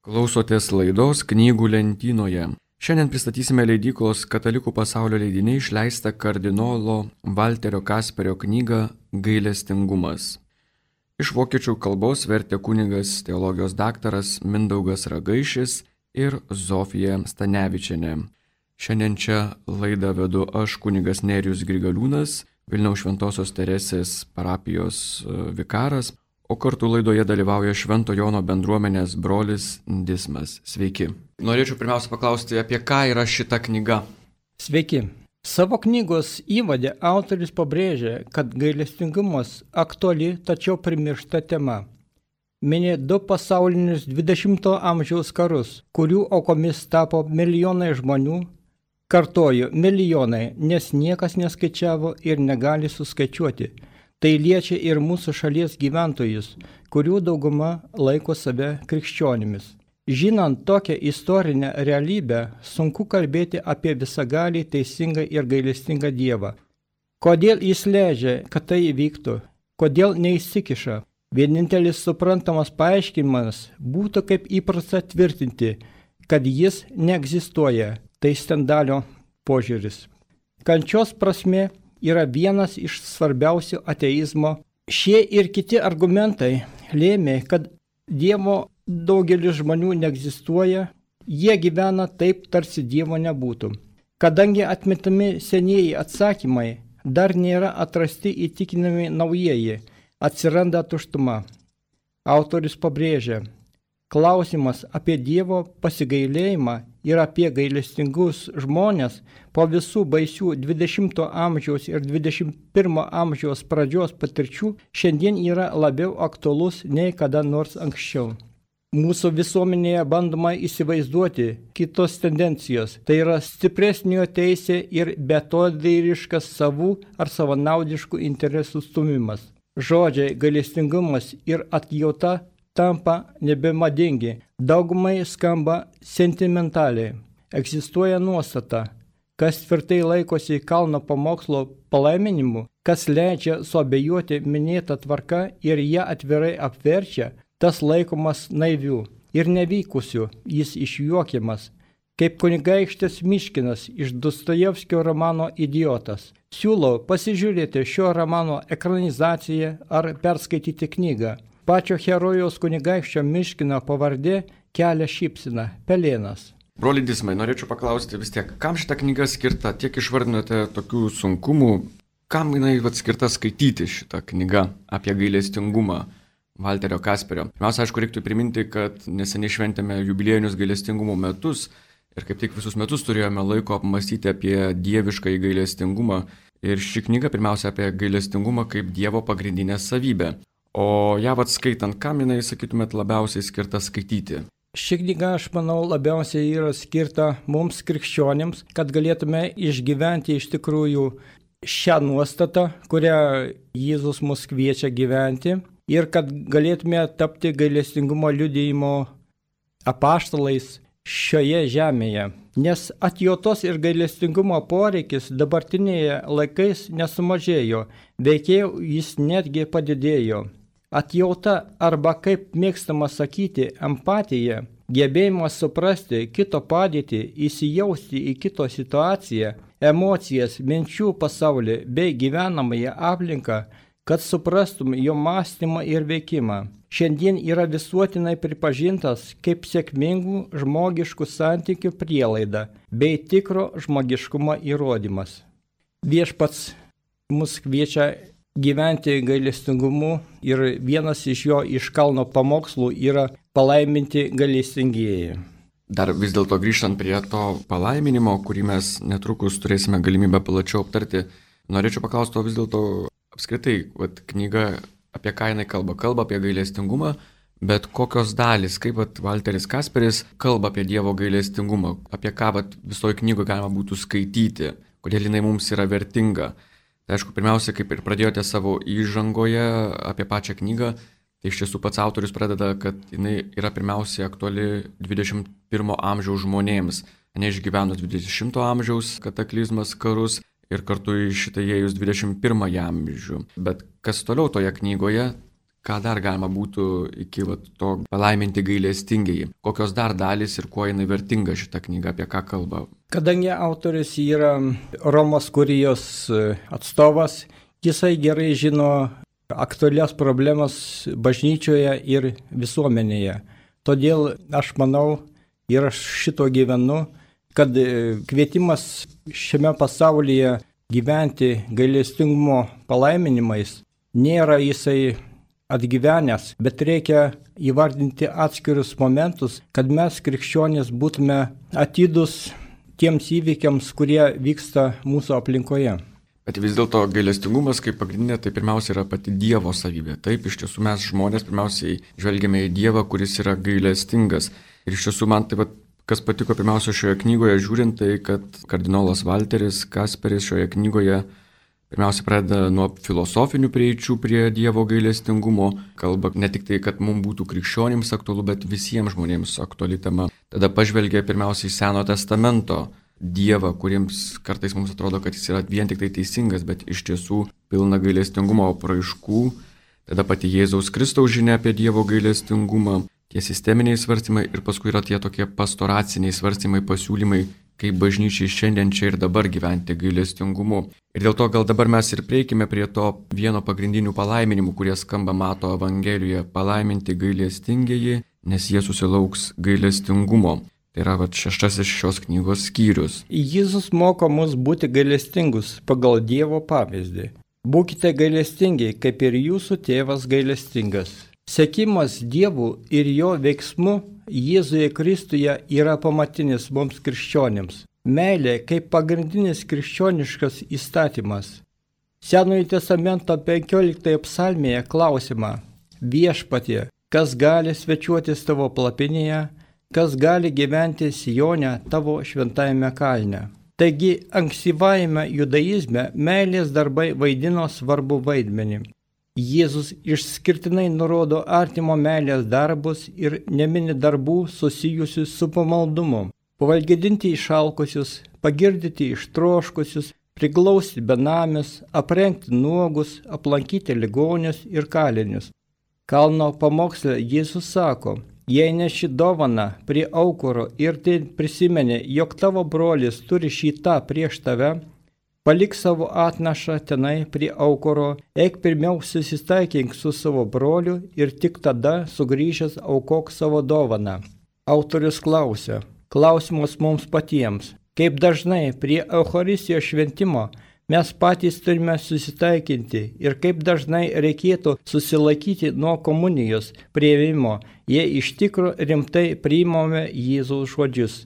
Klausotės laidos Knygų lentynoje. Šiandien pristatysime leidyklos Katalikų pasaulio leidiniai išleistą kardinolo Valterio Kasperio knygą Gailestingumas. Iš vokiečių kalbos vertė kunigas teologijos daktaras Mindaugas Ragaišis ir Zofija Stanevičienė. Šiandien čia laidą vedu aš, kunigas Nerijus Grigaliūnas, Vilniaus Šventosios Teresės parapijos vikaras, o kartu laidoje dalyvauja Švento Jono bendruomenės brolis Dismas. Sveiki. Norėčiau pirmiausia paklausti, apie ką yra šita knyga? Sveiki. Savo knygos įvade autorius pabrėžia, kad gailestingumas aktuali, tačiau primiršta tema. Mini du pasaulinius 20-ojo amžiaus karus, kurių aukomis tapo milijonai žmonių. Kartoju, milijonai, nes niekas neskaičiavo ir negali suskaičiuoti. Tai liečia ir mūsų šalies gyventojus, kurių dauguma laiko save krikščionimis. Žinant tokią istorinę realybę, sunku kalbėti apie visagalį, teisingą ir gailestingą Dievą. Kodėl jis leidžia, kad tai įvyktų? Kodėl neįsikiša? Vienintelis suprantamas paaiškinimas būtų kaip įprasta tvirtinti, kad jis neegzistuoja. Tai Stendalio požiūris. Kančios prasmė yra vienas iš svarbiausių ateizmo. Šie ir kiti argumentai lėmė, kad Dievo daugelis žmonių neegzistuoja, jie gyvena taip, tarsi Dievo nebūtų. Kadangi atmetami senieji atsakymai, dar nėra atrasti įtikinami naujieji, atsiranda tuštuma. Autorius pabrėžia, klausimas apie Dievo pasigailėjimą ir apie gailestingus žmonės po visų baisių 20-ojo amžiaus ir 21-ojo amžiaus pradžios patirčių šiandien yra labiau aktualus nei kada nors anksčiau. Mūsų visuomenėje bandoma įsivaizduoti kitos tendencijos, tai yra stipresnio teisė ir beatodairiškas savų ar savanaudiškų interesų stumimas. Žodžiai gailestingumas ir atjauta tampa nebemadingi, daugumai skamba sentimentaliai. Egzistuoja nuostata, kas tvirtai laikosi kalno pamokslo palaiminimu, kas leidžia suabejoti minėtą tvarką ir ją atvirai apverčia, tas laikomas naiviu ir nevykusiu, jis išjuokiamas, kaip kunigaikštis Miškinas iš Dostojevskio romano Idiotas. Siūlau pasižiūrėti šio romano ekranizaciją ar perskaityti knygą. Pačio herojaus kunigaikščio Miškino pavardė kelia šypseną – Pelėnas. Broli Dismai, norėčiau paklausti vis tiek, kam šita knyga skirta? Tiek išvardinote tokių sunkumų, kam jinai skirta skaityti šitą knygą apie gailestingumą Valterio Kasperio? Pirmiausia, aišku, reiktų priminti, kad neseniai šventėme jubiliejinius gailestingumo metus ir kaip tik visus metus turėjome laiko apmąstyti apie dievišką gailestingumą. Ir ši knyga pirmiausia apie gailestingumą kaip Dievo pagrindinę savybę. O ją skaitant, kam jinai, sakytumėt, labiausiai skirta skaityti? Ši knyga, aš manau, labiausiai yra skirta mums krikščionims, kad galėtume išgyventi iš tikrųjų šią nuostatą, kurią Jėzus mus kviečia gyventi ir kad galėtume tapti gailestingumo liudijimo apaštalais šioje žemėje. Nes atjautos ir gailestingumo poreikis dabartinėje laikais nesumažėjo, veikiau jis netgi padidėjo. Atjauta arba, kaip mėgstama sakyti, empatija, gebėjimas suprasti kito padėtį, įsijausti į kito situaciją, emocijas, minčių pasaulį bei gyvenamąją aplinką, kad suprastum jo mąstymą ir veikimą. Šiandien yra visuotinai pripažintas kaip sėkmingų žmogiškų santykių prielaida bei tikro žmogiškumo įrodymas. Viešpats mus kviečia gyventi gailestingumu ir vienas iš jo iš kalno pamokslų yra palaiminti gailestingieji. Dar vis dėlto grįžtant prie to palaiminimo, kurį mes netrukus turėsime galimybę plačiau aptarti, norėčiau paklausti, o vis dėlto apskritai, knyga apie ką jinai kalba? Kalba apie gailestingumą, bet kokios dalys, kaip Valteris Kasperis kalba apie Dievo gailestingumą, apie ką visoje knygoje galima būtų skaityti, kodėl jinai mums yra vertinga. Tai aišku, pirmiausia, kaip ir pradėjote savo įžangoje apie pačią knygą, tai iš tiesų pats autorius pradeda, kad jinai yra pirmiausia aktuali 21 amžiaus žmonėms, neišgyvenus 20 amžiaus kataklizmas, karus ir kartu į šitą įėjus 21 amžių. Bet kas toliau toje knygoje, ką dar galima būtų iki to palaiminti gailestingieji? Kokios dar dalys ir kuo jinai vertinga šita knyga, apie ką kalba? Kadangi autorius yra Romos kurijos atstovas, jisai gerai žino aktualias problemas bažnyčioje ir visuomenėje. Todėl aš manau ir aš šito gyvenu, kad kvietimas šiame pasaulyje gyventi gailestingumo palaiminimais nėra jisai atgyvenęs, bet reikia įvardinti atskirius momentus, kad mes krikščionys būtume atidūs tiems įvykiams, kurie vyksta mūsų aplinkoje. Bet vis dėlto gailestingumas kaip pagrindinė tai pirmiausia yra pati Dievo savybė. Taip, iš tiesų mes žmonės pirmiausiai žvelgiame į Dievą, kuris yra gailestingas. Ir iš tiesų man taip pat, kas patiko pirmiausia šioje knygoje žiūrint, tai kad kardinolas Valteris Kasperis šioje knygoje pirmiausia pradeda nuo filosofinių prieičių prie Dievo gailestingumo, kalba ne tik tai, kad mums būtų krikščionims aktualu, bet visiems žmonėms aktuali tema. Tada pažvelgia pirmiausia į Seno testamento Dievą, kuriems kartais mums atrodo, kad jis yra vien tik tai teisingas, bet iš tiesų pilna gailestingumo apraiškų. Tada pati Jėzaus Kristaus žinia apie Dievo gailestingumą, tie sisteminiai svarstymai ir paskui yra tie tokie pastoraciniai svarstymai, pasiūlymai, kaip bažnyčiai šiandien čia ir dabar gyventi gailestingumu. Ir dėl to gal dabar mes ir prieikime prie to vieno pagrindinių palaiminimų, kurie skamba Mato Evangelijoje - palaiminti gailestingieji, nes jie susilauks gailestingumo. Tai yra 6 šios knygos skyrius. Jėzus moko mus būti gailestingus pagal Dievo pavyzdį. Būkite gailestingi, kaip ir jūsų tėvas gailestingas. Sekimas Dievu ir jo veiksmu Jėzuje Kristuje yra pamatinis mums krikščionims. Meilė kaip pagrindinis krikščioniškas įstatymas. Senojo testamento 15 psalmėje klausimą: Viešpatie, kas gali svečiuotis tavo palapinėje, kas gali gyventi Sione tavo šventajame kalne. Taigi ankstyvajame judaizme meilės darbai vaidino svarbu vaidmenį. Jėzus išskirtinai nurodo artimo meilės darbus ir nemini darbų susijusius su pamaldumu. Pavalgydinti išalkusius, pagirdyti ištroškusius, priglausti benamius, aprengti nuogus, aplankyti ligonius ir kalinius. Kalno pamoksle Jėzus sako: jei neši dovaną prie aukuro ir tai prisimeni, jog tavo brolis turi šį tą prieš tave, palik savo atnašą tenai prie aukuro, eik pirmiau susitaikink su savo broliu ir tik tada sugrįžęs aukok savo dovaną. Autorius klausia, klausimas mums patiems, kaip dažnai prie Eucharistijos šventimo mes patys turime susitaikinti ir kaip dažnai reikėtų susilaikyti nuo komunijos priėmimo, jei iš tikro rimtai priimame Jėzaus žodžius.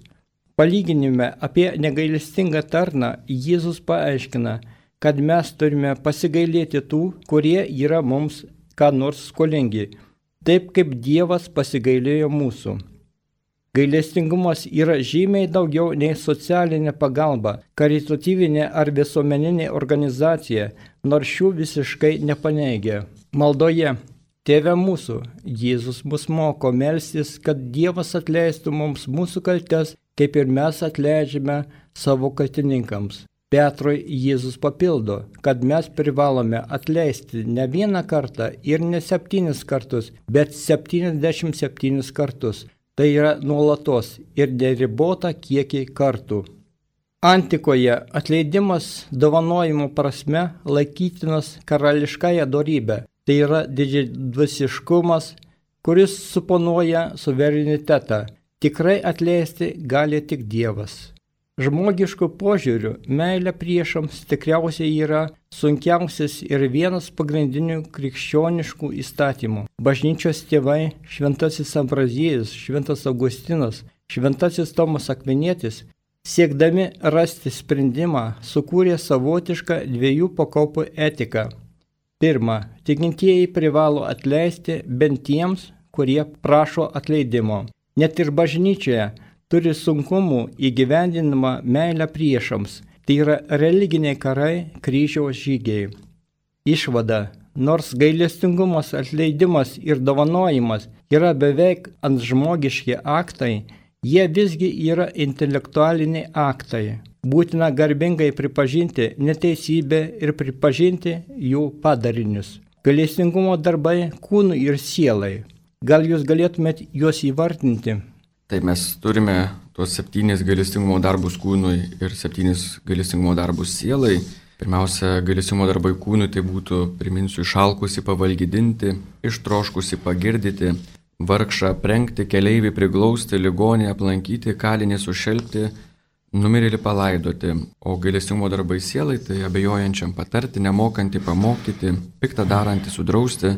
Palyginime apie negailestingą tarną Jėzus paaiškina, kad mes turime pasigailėti tų, kurie yra mums ką nors skolingi, taip kaip Dievas pasigailėjo mūsų. Gailestingumas yra žymiai daugiau nei socialinė pagalba, karitatyvinė ar visuomeninė organizacija, nors šių visiškai nepaneigia. Maldoje Tėve mūsų, Jėzus mus moko melstis, kad Dievas atleistų mums mūsų kaltes, kaip ir mes atleidžiame savo kaltininkams. Petrui Jėzus papildo, kad mes privalome atleisti ne vieną kartą ir ne 7 kartus, bet 77 kartus. Tai yra nuolatos ir neribota kiekį kartų. Antikoje atleidimas dovanojimo prasme laikytinas karališkąją dorybę. Tai yra didžiadvasiškumas, kuris suponuoja suverenitetą. Tikrai atleisti gali tik Dievas. Žmogiškų požiūrių meilė priešams tikriausiai yra sunkiausias ir vienas pagrindinių krikščioniškų įstatymų. Bažnyčios tėvai Šventasis Ambraziejus, Šventas Augustinas, Šventasis Tomas Akvinietis, siekdami rasti sprendimą, sukūrė savotišką 2 pakopų etiką. Pirma, tikintieji privalo atleisti bent tiems, kurie prašo atleidimo. Net ir bažnyčioje turi sunkumų įgyvendinimą meilę priešams. Tai yra religiniai karai, kryžiaus žygiai. Išvada, nors gailestingumas, atleidimas ir dovanojimas yra beveik antžmogiški aktai, jie visgi yra intelektualiniai aktai. Būtina garbingai pripažinti neteisybę ir pripažinti jų padarinius. Gailestingumo darbai kūnui ir sielai. Gal jūs galėtumėt juos įvardinti? Tai mes turime tuos 7 gailestingumo darbus kūnui ir 7 gailestingumo darbus sielai. Pirmiausia, gailestingumo darbai kūnui tai būtų, priminsiu, išalkusi pavalgydinti, ištroškusi pagirdyti, vargšą aprengti, keleivį priglausti, ligonį aplankyti, kalinį sušelpti, numirėlį palaidoti. O gailestingumo darbai sielai tai abejojančiam patarti, nemokantį pamokyti, piktą darantį sudrausti,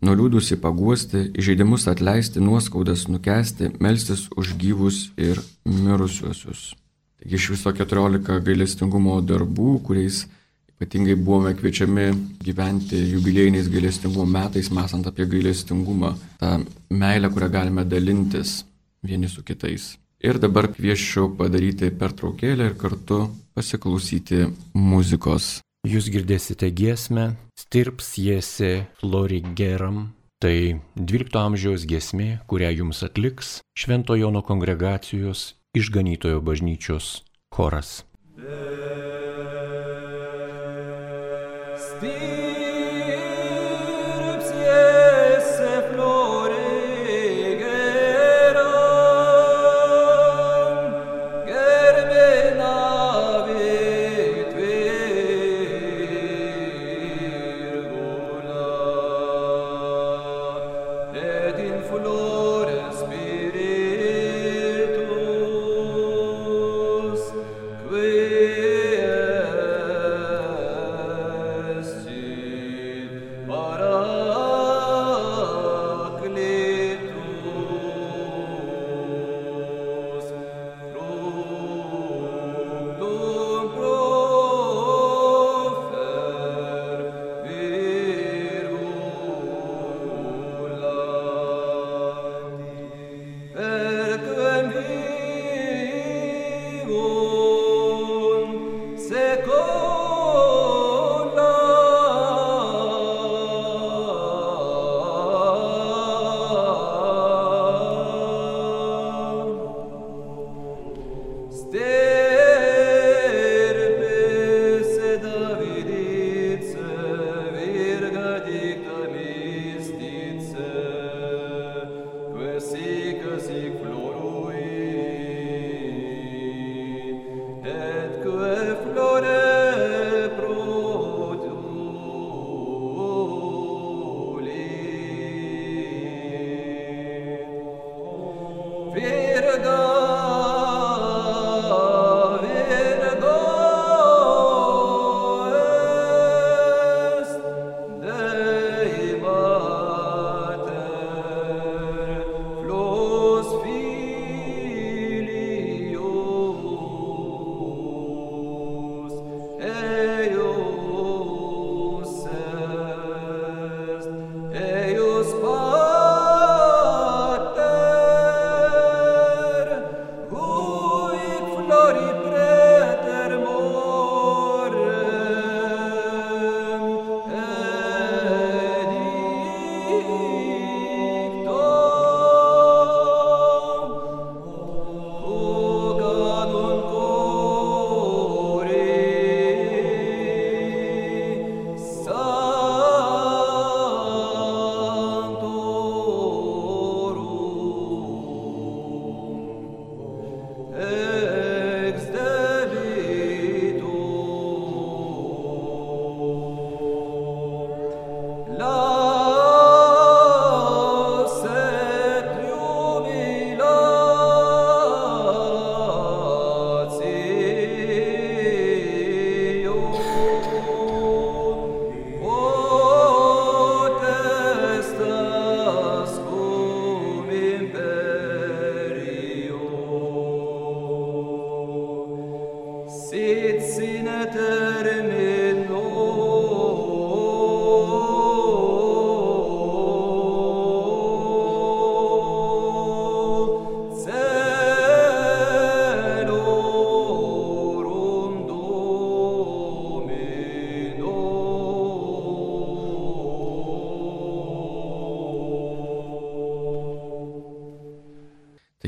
nuliūdusi paguosti, įžeidimus atleisti, nuoskaudas nukęsti, melstis už gyvus ir mirusiuosius. Taigi iš viso 14 gailestingumo darbų, kuriais ypatingai buvome kviečiami gyventi jubiliejiniais gailestingumo metais, mąstant apie gailestingumą, tą meilę, kurią galime dalintis vieni su kitais. Ir dabar kviečiu padaryti pertraukėlę ir kartu pasiklausyti muzikos. Jūs girdėsite giesmę Stirps Jese Florigeram. Tai 12 amžiaus giesmė, kurią jums atliks Švento Jono kongregacijos Išganytojo bažnyčios choras.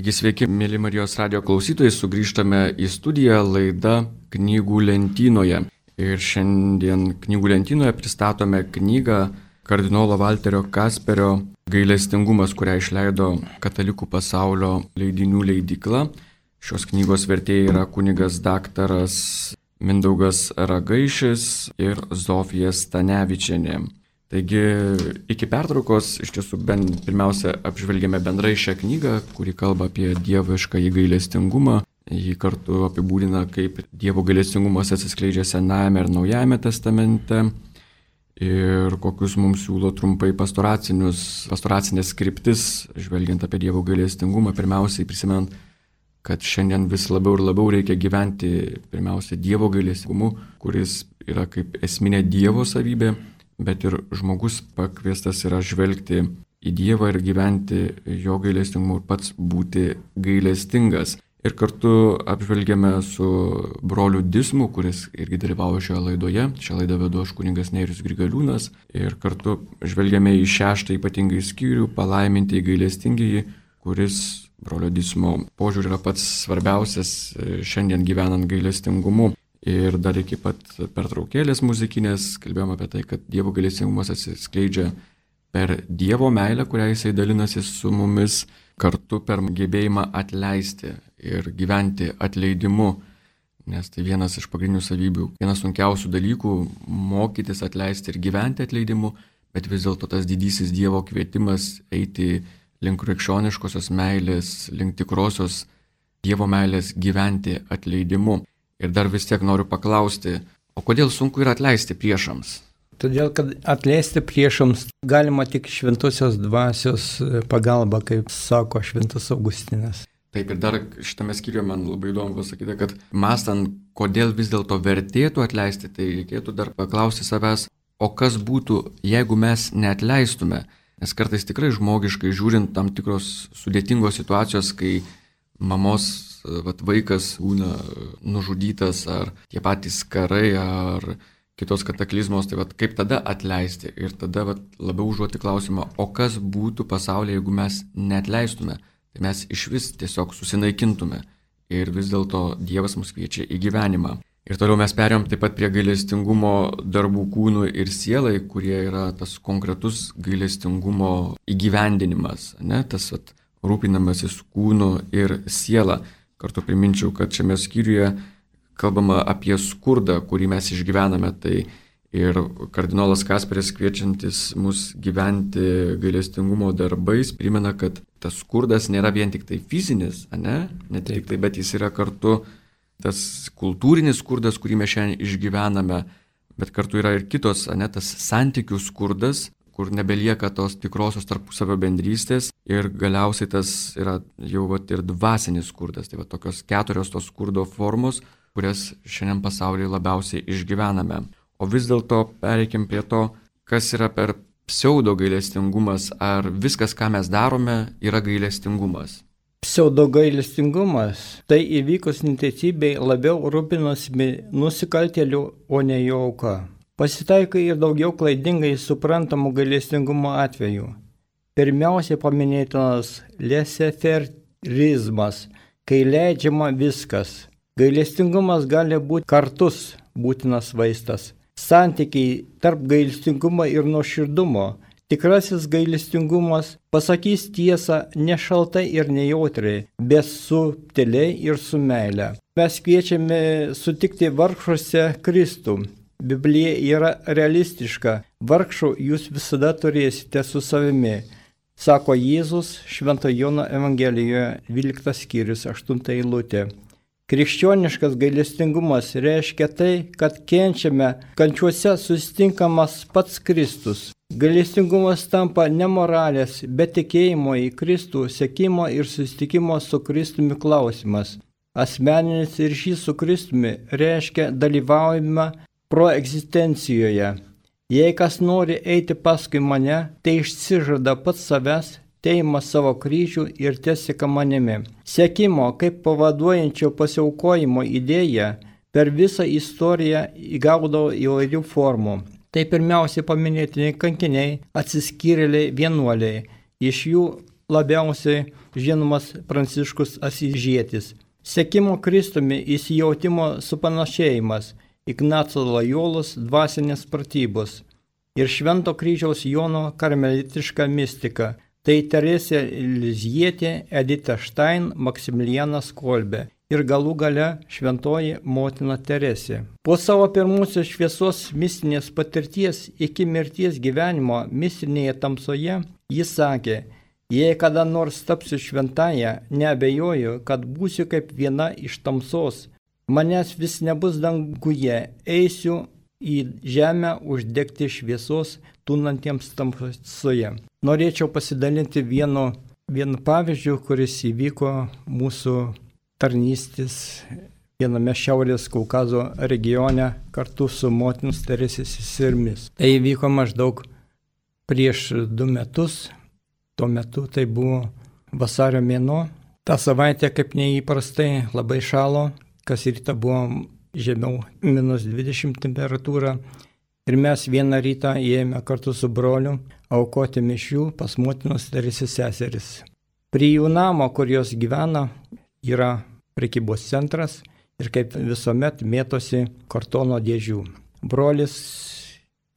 Taigi sveiki, mėly Marijos radijo klausytojai, sugrįžtame į studiją, laida Knygų lentynoje. Ir šiandien Knygų lentynoje pristatome knygą kardinolo Valterio Kasperio Gailestingumas, kurią išleido Katalikų pasaulio leidinių leidykla. Šios knygos vertėjai yra kunigas daktaras Mindaugas Ragaišis ir Zofija Stanevičienė. Taigi iki pertraukos iš tiesų pirmiausia apžvelgėme bendrai šią knygą, kuri kalba apie dievišką gailestingumą. Jį kartu apibūdina, kaip Dievo gailestingumas atsiskleidžia Senajame ir Naujajame testamente ir kokius mums siūlo trumpai pastoracinės kryptis, žvelgiant apie Dievo gailestingumą, pirmiausiai prisimenant, kad šiandien vis labiau ir labiau reikia gyventi pirmiausia Dievo gailestingumu, kuris yra kaip esminė Dievo savybė, bet ir žmogus pakviestas yra žvelgti į Dievą ir gyventi jo gailestingumu ir pats būti gailestingas. Ir kartu apžvelgėme su broliu Dismu, kuris irgi dalyvavo šioje laidoje. Šią laidą vedu aš kunigas Nerijus Grigaliūnas. Ir kartu žvelgėme į 6 ypatingai skyrių, palaiminti gailestingieji, kuris brolio Dismo požiūrį yra pats svarbiausias šiandien gyvenant gailestingumu. Ir dar iki pat pertraukėlės muzikinės kalbėjome apie tai, kad Dievo gailestingumas atsiskleidžia per Dievo meilę, kurią jisai dalinasi su mumis, kartu per gebėjimą atleisti ir gyventi atleidimu, nes tai vienas iš pagrindinių savybių, vienas sunkiausių dalykų - mokytis atleisti ir gyventi atleidimu, bet vis dėlto tas didysis Dievo kvietimas eiti link krikščioniškosios meilės, link tikrosios Dievo meilės gyventi atleidimu. Ir dar vis tiek noriu paklausti, o kodėl sunku yra atleisti priešams? Todėl, kad atleisti priešams galima tik šventosios dvasios pagalba, kaip sako šventas Augustinas. Taip, ir dar šitame skyriuje man labai įdomu pasakyti, kad mąstant, kodėl vis dėlto vertėtų atleisti, tai reikėtų dar paklausti savęs, o kas būtų, jeigu mes neatleistume. Nes kartais tikrai žmogiškai žiūrint tam tikros sudėtingos situacijos, kai mamos vaikas būna nužudytas, ar tie patys karai, ar kitos kataklizmos, tai kaip tada atleisti ir tada labiau užduoti klausimą, o kas būtų pasaulyje, jeigu mes neatleistume, tai mes iš vis tiesiog susinaikintume ir vis dėlto Dievas mus kviečia į gyvenimą. Ir toliau mes perėjom taip pat prie gailestingumo darbų kūnui ir sielai, kurie yra tas konkretus gailestingumo įgyvendinimas, ne? Tas rūpinamasis kūnu ir siela. Kartu priminčiau, kad šiame skyriuje kalbama apie skurdą, kurį mes išgyvename, tai ir kardinolas Kasperis kviečiantis mus gyventi gailestingumo darbais primena, kad tas skurdas nėra vien tik tai fizinis, ne tik tai, bet jis yra kartu tas kultūrinis skurdas, kurį mes šiandien išgyvename, bet kartu yra ir kitos, tas santykių skurdas, kur nebelieka tos tikrosios tarpusavio bendrystės ir galiausiai tas yra jau ir dvasinis skurdas, tai tokios 4 tos skurdo formos, kurias šiandien pasaulyje labiausiai išgyvename. O vis dėlto pereikim prie to, kas yra per pseudo gailestingumas, ar viskas, ką mes darome, yra gailestingumas. Pseudo gailestingumas tai įvykus neteisybei labiau rūpinosi nusikaltėlių, o ne jo auka. Pasitaiko ir daugiau klaidingai suprantamų gailestingumo atvejų. Pirmiausiai paminėtinas laissez-faireizmas, kai leidžiama viskas. Gailestingumas gali būti kartus būtinas vaistas. Santykiai tarp gailestingumo ir nuoširdumo. Tikrasis gailestingumas pasakys tiesą ne šaltai ir nejautriai, bet subtiliai ir su meile. Mes kviečiame sutikti vargšuose Kristų. Biblija yra realistiška. Vargšų jūs visada turėsite su savimi, sako Jėzus Švento Jono Evangelijoje 12 skyrius 8 eilutė. Krikščioniškas gailestingumas reiškia tai, kad kenčiame, kančiuose susitinkamas pats Kristus. Gailestingumas tampa ne moralės, bet tikėjimo į Kristų, sekimo ir susitikimo su Kristumi klausimas. Asmeninis ryšys su Kristumi reiškia dalyvaujimą proegzistencijoje. Jei kas nori eiti paskui mane, tai išsižada pats savęs, teima savo kryžių ir teseka manimi. Sekimo kaip pavaduojančio pasiaukojimo idėja per visą istoriją įgaudavo įvairių formų. Tai pirmiausiai paminėtini kankiniai, atsiskyrėliai, vienuoliai. Iš jų labiausiai žinomas Pranciškus Asyžietis. Sekimo Kristumi įsijautimo supanašėjimas, Ignaco Lojolos dvasinės pratybos. ir Švento kryžiaus Jono karmelitiška mistika. Tai Teresė Lizjietė, Edita Štain, Maksimilianas Kolbė ir galų gale Šventoji motina Teresė. Po savo pirmosios šviesos mistinės patirties iki mirties gyvenimo mistinėje tamsoje jis sakė: jei kada nors tapsiu šventąją, neabejoju, kad būsiu kaip viena iš tamsos. Manęs vis nebus danguje, eisiu į žemę uždegti šviesos tūnantiems tamsoje. Norėčiau pasidalinti vienu pavyzdžiu, kuris įvyko mūsų tarnystės viename Šiaurės Kaukazo regione kartu su motinos Teresės seserimis. Tai įvyko maždaug prieš 2 metus. Tuo metu tai buvo vasario mėnuo. Ta savaitė kaip neįprastai labai šalo, kas rytą buvo žemiau -20 temperatūra. Ir mes vieną rytą įėjome kartu su broliu aukoti mišių pas motinos Teresės seseris. Prie jų namo, kur jos gyvena, yra prekybos centras ir kaip visuomet mėtosi kartono dėžių. Brolis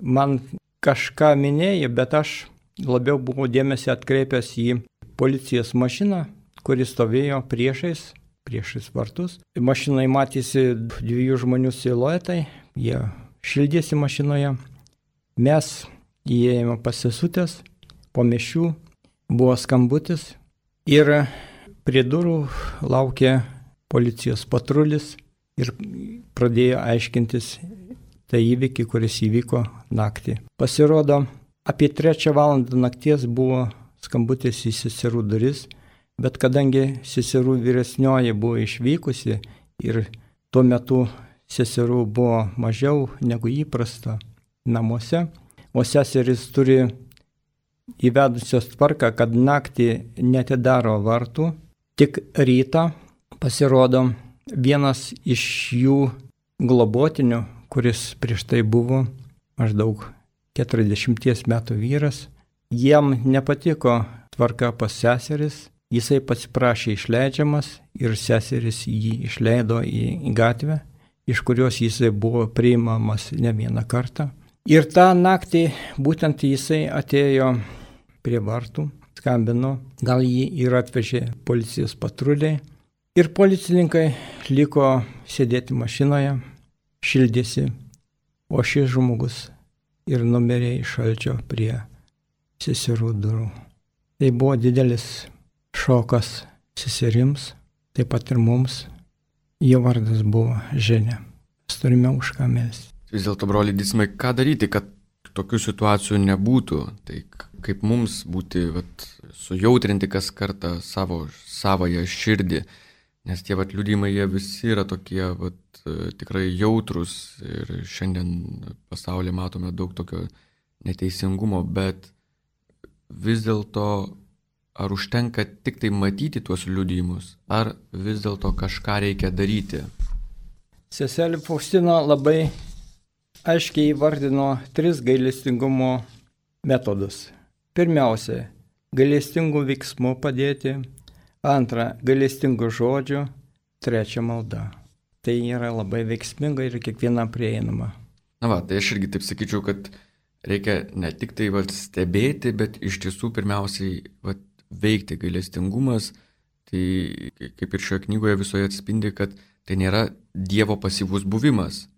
man kažką minėjo, bet aš labiau buvau dėmesį atkreipęs į policijos mašiną, kuri stovėjo priešais vartus. Mašinai matėsi 2 žmonių siluetai, jie šildėsi mašinoje. Mes įėjome pasisutęs, po mišių buvo skambutis ir prie durų laukė policijos patrulis ir pradėjo aiškintis tą įvykį, kuris įvyko naktį. Pasirodo, apie 3 valandą nakties buvo skambutis į seserų duris, bet kadangi seserų vyresnioji buvo išvykusi ir tuo metu seserų buvo mažiau negu įprasta namuose, o seseris turi įvedusios tvarką, kad naktį netidaro vartų, tik rytą pasirodo vienas iš jų globotinių, kuris prieš tai buvo maždaug 40 metų vyras. Jam nepatiko tvarka pas seseris, jisai pasiprašė išleidžiamas ir seseris jį išleido į gatvę, iš kurios jisai buvo priimamas ne vieną kartą. Ir tą naktį būtent jisai atėjo prie vartų, skambino, gal jį ir atvežė policijos patruliai. Ir policininkai liko sėdėti mašinoje, šildėsi, o šis žmogus ir numirė iš šalčio prie seserų durų. Tai buvo didelis šokas seserims, taip pat ir mums. Jo vardas buvo Ženė. Mes turime už ką melsti. Vis dėlto, broli Dismai, ką daryti, kad tokių situacijų nebūtų? Tai kaip mums būti sujautrinti kas kartą savąją širdį? Nes tie liudijimai, jie visi yra tokie tikrai jautrus ir šiandien pasaulyje matome daug tokio neteisingumo, bet vis dėlto ar užtenka tik tai matyti tuos liudijimus, ar vis dėlto kažką reikia daryti? Seselė Faustina labai aiškiai įvardino 3 gailestingumo metodus. Pirmiausia, gailestingų veiksmų padėti. 2, gailestingų žodžių. 3, malda. Tai yra labai veiksminga ir kiekviena prieinama. Tai aš irgi taip sakyčiau, kad reikia ne tik tai stebėti, bet iš tiesų pirmiausiai veikti. Gailestingumas, tai kaip ir šioje knygoje visoje atspindi, kad tai nėra Dievo pasyvus buvimas,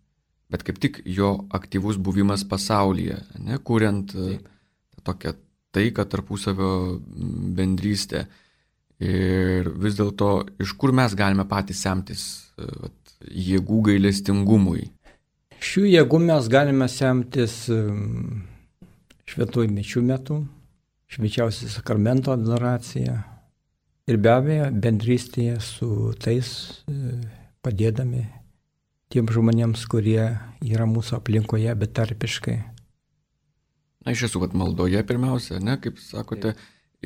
bet kaip tik jo aktyvus buvimas pasaulyje, kuriant tokią taiką, tarpusavio bendrystę. Ir vis dėlto, iš kur mes galime patys semtis jėgų gailestingumui? Šių jėgų mes galime semtis šventųjų mišių metu, švenčiausio sakramento adoracija ir be abejo bendrystėje su tais padėdami tiem žmonėms, kurie yra mūsų aplinkoje betarpiškai. Iš tiesų, maldoje pirmiausia, kaip sakote,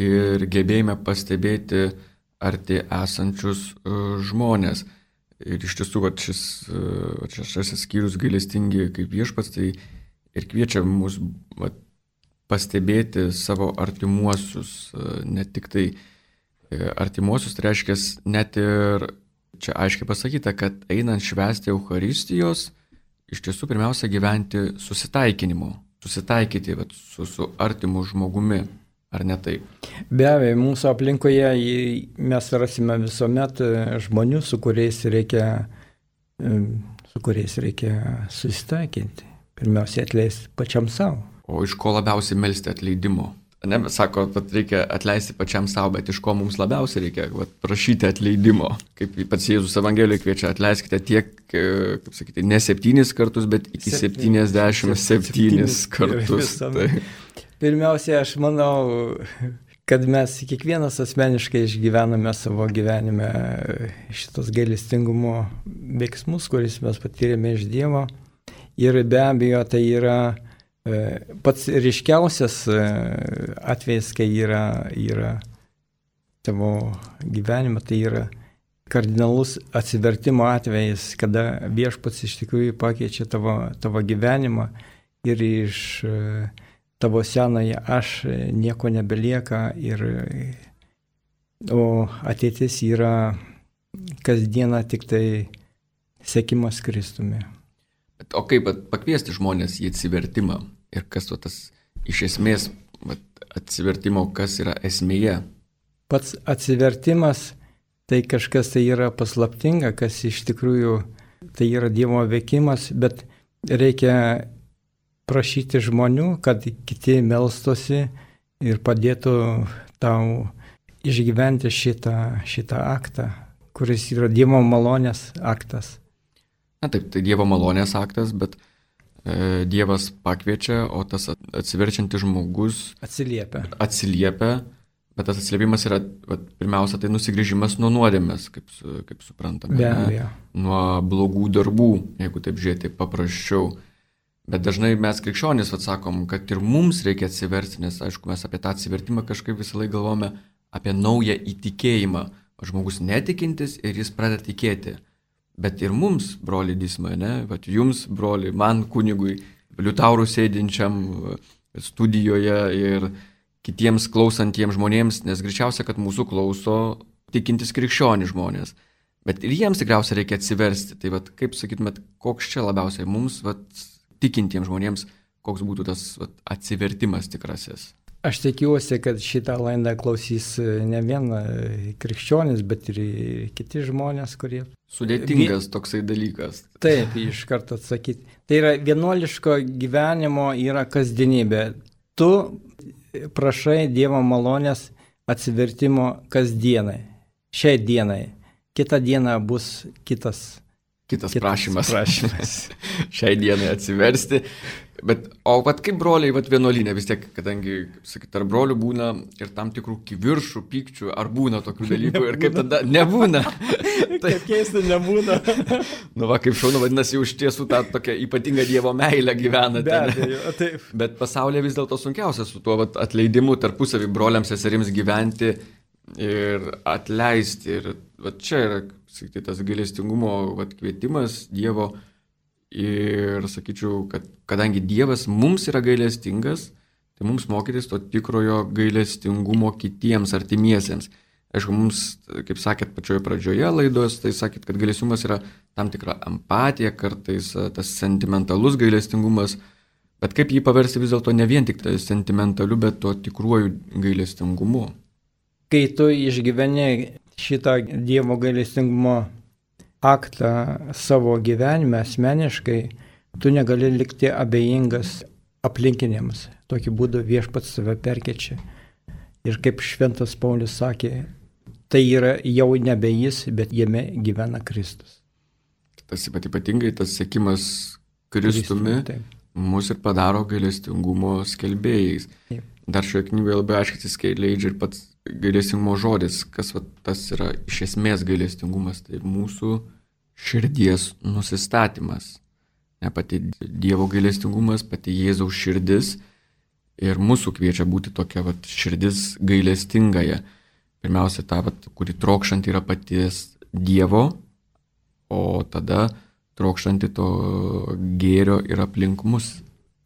ir gebėjime pastebėti arti esančius žmonės. Ir iš tiesų, šis skyrius gailestingi kaip Viešpats, tai ir kviečia mus pastebėti savo artimuosius, ne tik tai artimuosius, tai reiškia net ir čia aiškiai pasakyta, kad einant švęsti Eucharistijos, iš tiesų pirmiausia gyventi susitaikinimo susitaikyti vat, su artimu žmogumi, ar ne taip? Be abejo, mūsų aplinkoje mes rasime visuomet žmonių, su kuriais reikia susitaikinti. Pirmiausia, atleisti pačiam savo. O iš ko labiausiai melsti atleidimo? Ne, sako, kad reikia atleisti pačiam savo, bet iš ko mums labiausiai reikia prašyti atleidimo. Kaip pats Jėzus Evangelijoje kviečia, atleiskite tiek, kaip sakyti, ne 7 kartus, bet iki 77 kartus. Tai. Pirmiausia, aš manau, kad mes kiekvienas asmeniškai išgyvename savo gyvenime šitos gailestingumo veiksmus, kuris mes patyrėme iš Dievo. Ir be abejo, tai yra pats ryškiausias atvejis, kai yra tavo gyvenime, tai yra kardinalus atsivertimo atvejis, kada Viešpats iš tikrųjų pakeičia tavo gyvenimą ir iš tavo senoje aš nieko nebelieka, o ateitis yra kasdieną tik tai sekimas Kristumi. O kaip pakviesti žmonės į atsivertimą ir kas tas iš esmės atsivertimo, kas yra esmėje? Pats atsivertimas tai kažkas tai yra paslaptinga, kas iš tikrųjų tai yra Dievo veikimas, bet reikia prašyti žmonių, kad kiti melstosi ir padėtų tau išgyventi šitą aktą, kuris yra Dievo malonės aktas. Na taip, tai Dievo malonės aktas, bet Dievas pakviečia, o tas atsiverčiantis žmogus atsiliepia, bet tas atsiliepimas yra pirmiausia tai nusigrįžimas nuo nuodėmės, kaip suprantame. Be abejo. Nuo blogų darbų, jeigu taip žiūrėti paprasčiau. Bet dažnai mes krikščionys sakom, kad ir mums reikia atsiversti, nes aišku, mes apie tą atsivertimą kažkaip visą laiką galvome apie naują įtikėjimą. Žmogus netikintis ir jis pradeda tikėti. Bet ir mums, broli Disma, ne? Vat jums, broli, man kunigui, liutaurų sėdinčiam studijoje ir kitiems klausantiems žmonėms, nes greičiausia, kad mūsų klauso tikintis krikščionių žmonės. Bet ir jiems tikriausiai reikia atsiversti. Tai vat, kaip sakytumėt, koks čia labiausiai mums, tikintiems žmonėms, koks būtų tas atsivertimas tikrasis? Aš tikiuosi, kad šitą laidą klausys ne vien krikščionis, bet ir kiti žmonės, kurie... Sudėtingas toksai dalykas. Taip, iš karto atsakyti. Tai yra vienuoliško gyvenimo yra kasdienybė. Tu prašai Dievo malonės atsivertimo kasdienai, šiai dienai. Kita diena bus kitas prašymas. Šiai dienai atsiversti. Bet, o kaip broliai vienuolinė vis tiek, kadangi, kaip sakyti, tarp brolių būna ir tam tikrų kiviršų, pykčių, ar būna tokių dalykų ir kaip tada nebūna. Kaip keista nebūna. Kaip šaunu, vadinasi, už tiesų tą tokią ypatingą Dievo meilę gyvenate. Be abejo, taip. Bet pasaulyje vis dėlto sunkiausia su tuo atleidimu tarpusavį broliams seserims gyventi ir atleisti. Ir čia yra, sakyti, tas gailestingumo kvietimas Dievo. Ir sakyčiau, kad kadangi Dievas mums yra gailestingas, tai mums mokytis to tikrojo gailestingumo kitiems artimiesiems. Aišku, mums, kaip sakėt pačioje pradžioje laidos, tai sakėt, kad gailestingumas yra tam tikra empatija, kartais tas sentimentalus gailestingumas, bet kaip jį paversti vis dėlto ne vien tik tai sentimentaliu, bet to tikruoju gailestingumu. Kai tu išgyveni šitą Dievo gailestingumo aktą savo gyvenime asmeniškai, tu negali likti abejingas aplinkiniams. Tokiu būdu Viešpats save perkeičia. Ir kaip Šventas Paulius sakė, tai yra jau nebe jis, bet jame gyvena Kristus. Tas ypatingai tas sekimas Kristumi mus ir padaro gailestingumo skelbėjais. Taip. Dar šioje knygoje labai aiškiai atsiskleidžia ir pats gailestingumo žodis, kas tas yra iš esmės gailestingumas, tai mūsų širdies nusistatymas. Ne pati Dievo gailestingumas, pati Jėzaus širdis ir mūsų kviečia būti tokia širdis gailestingaja. Pirmiausia, ta, kuri trokštanti yra paties Dievo, o tada trokštanti to gėrio ir aplink mus.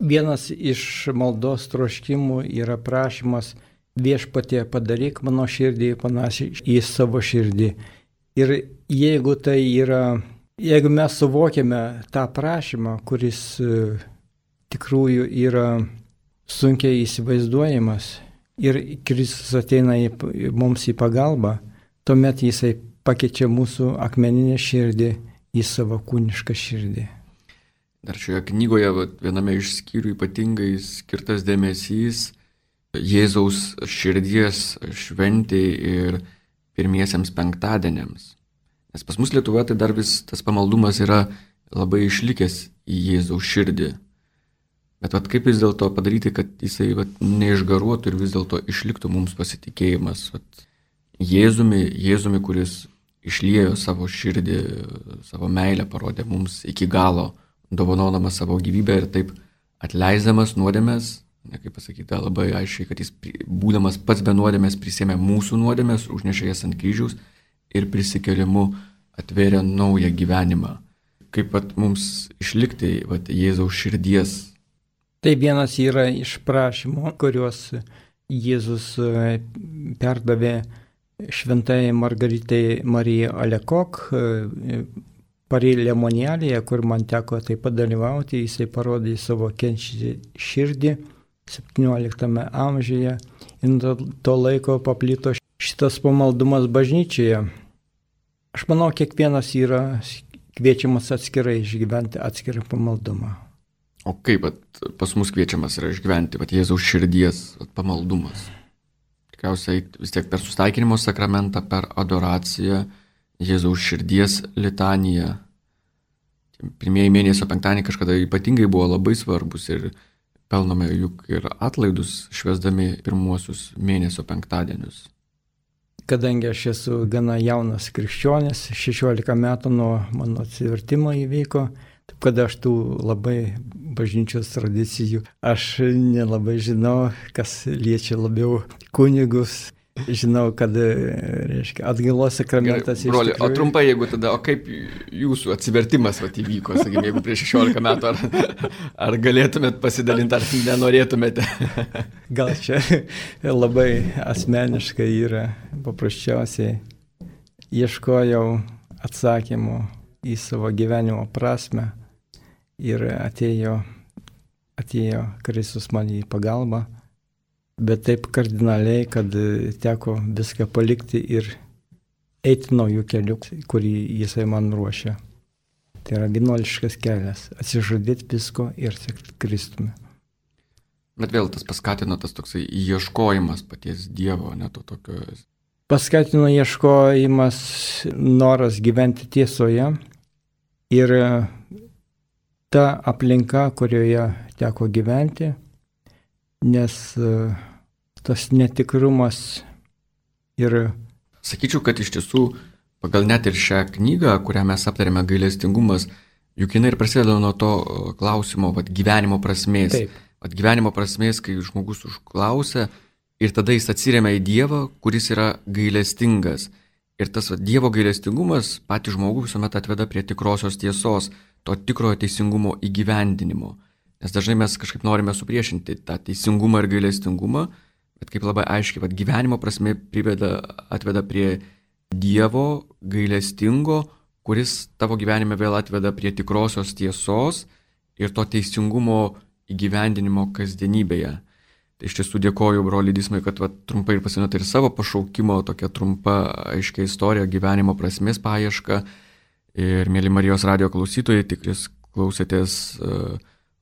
Vienas iš maldos troškimų yra prašymas Viešpatie padaryk mano širdį panašiai į savo širdį. Ir jeigu mes suvokiame tą prašymą, kuris tikrųjų yra sunkiai įsivaizduojamas ir Kristus ateina mums į pagalbą, tuomet jisai pakeičia mūsų akmeninę širdį į savo kūnišką širdį. Dar šioje knygoje viename iš skyrių ypatingai skirtas dėmesys Jėzaus širdies šventei ir pirmiesiems penktadieniams. Nes pas mus Lietuvoje tai dar vis tas pamaldumas yra labai išlikęs į Jėzaus širdį. Bet kaip vis dėlto padaryti, kad jisai neišgaruotų ir vis dėlto išliktų mums pasitikėjimas Jėzumi, kuris išliejo savo širdį, savo meilę parodė mums iki galo, dovanodamas savo gyvybę ir taip atleisdamas nuodėmes, kaip pasakyta labai aiškiai, kad jis būdamas pats be nuodėmės prisėmė mūsų nuodėmės, užnešė jas ant kryžiaus ir prisikėlimu atvėrė naują gyvenimą. Kaip mums išlikti Jėzaus širdies. Tai vienas yra iš prašymų, kuriuos Jėzus perdavė šventai Margaritai Marijai Alekok Paris Lemonėlėje, kur man teko taip pat dalyvauti. Jisai parodė savo kenčiantį širdį 17 amžiuje ir nuo to laiko paplito šitas pamaldumas bažnyčioje. Aš manau, kiekvienas yra kviečiamas atskirai išgyventi atskirą pamaldumą. O kaip pas mus kviečiamas yra išgyventi Jėzaus širdies pamaldumas? Tikriausiai vis tiek per sustaikinimo sakramentą, per adoraciją, Jėzaus širdies litaniją. Pirmieji mėnesio penktadieniai kažkada ypatingai buvo labai svarbus ir pelnome juk ir atlaidus švęsdami pirmuosius mėnesio penktadienius. Kadangi aš esu gana jaunas krikščionis, 16 metų nuo mano atsivertimo įvyko, taip kad aš tų labai bažnyčios tradicijų, aš nelabai žinau, kas liečia labiau kunigus. Žinau, kad, atgailos sakramentas. Broli, o trumpai, jeigu tada, o kaip jūsų atsivertimas įvyko, sakykime, jeigu prieš 16 metų, ar galėtumėt pasidalinti, ar nenorėtumėte? Gal čia labai asmeniškai yra, paprasčiausiai ieškojau atsakymų į savo gyvenimo prasmę ir atėjo Kristus man į pagalbą. Bet taip kardinaliai, kad teko viską palikti ir eiti naujų kelių, kurį jisai man ruošia. Tai yra vienuoliškas kelias - atsižadėti visko ir sekti Kristumi. Bet vėl tas paskatino tas toksai ieškojimas paties Dievo, ne to tokio. Paskatino ieškojimas, noras gyventi tiesoje ir ta aplinka, kurioje teko gyventi, nes tas netikrumas ir... Sakyčiau, kad iš tiesų, pagal net ir šią knygą, kurią mes aptarėme, gailestingumas, juk jinai ir prasideda nuo to klausimo, gyvenimo prasmės. Taip. Gyvenimo prasmės, kai žmogus užklausia ir tada jis atsiremia į Dievą, kuris yra gailestingas. Ir tas Dievo gailestingumas patį žmogų visuomet atveda prie tikrosios tiesos, to tikrojo teisingumo įgyvendinimo. Nes dažnai mes kažkaip norime supriešinti tą teisingumą ir gailestingumą, bet kaip labai aiškiai, gyvenimo prasme atveda prie Dievo gailestingo, kuris tavo gyvenime vėl atveda prie tikrosios tiesos ir to teisingumo įgyvendinimo kasdienybėje. Tai iš tiesų dėkoju broliui Dismui, kad trumpai ir pasinaudojote ir savo pašaukimo, tokia trumpa aiškia istorija, gyvenimo prasmės paieška. Ir mėly Marijos radijo klausytojai, tikris klausėtės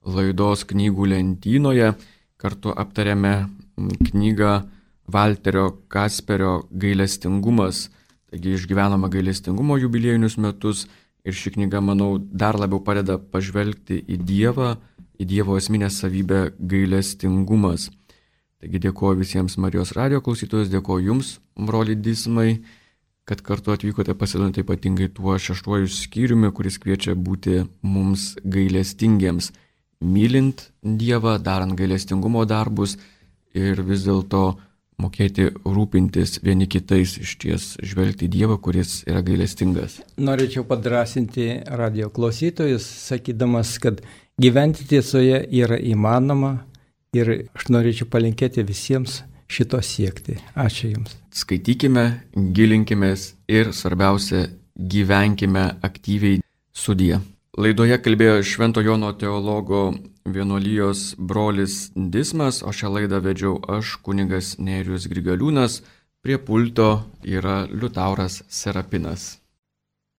laidos knygų lentynoje. Kartu aptarėme knygą Valterio Kasperio Gailestingumas. Taigi išgyvenama gailestingumo jubiliejinius metus ir ši knyga, manau, dar labiau padeda pažvelgti į Dievą, į Dievo esminę savybę gailestingumas. Taigi dėkoju visiems Marijos radijo klausytojus, dėkoju Jums, broli Dismai, kad kartu atvykote pasidalinti ypatingai tuo 6 skyriumi, kuris kviečia būti mums gailestingiems. Mylint Dievą, darant gailestingumo darbus ir vis dėlto mokėti rūpintis vieni kitais, išties žvelgti į Dievą, kuris yra gailestingas. Norėčiau padrasinti radio klausytojus, sakydamas, kad gyventi tiesoje yra įmanoma ir aš norėčiau palinkėti visiems šito siekti. Ačiū Jums. Skaitykime, gilinkimės ir svarbiausia, gyvenkime aktyviai. Sudie. Laidoje kalbėjo Švento Jono teologo vienuolijos brolis Dismas, o šią laidą vedžiau aš, kunigas Nerijus Grigaliūnas, prie pulto yra Liutauras Serapinas.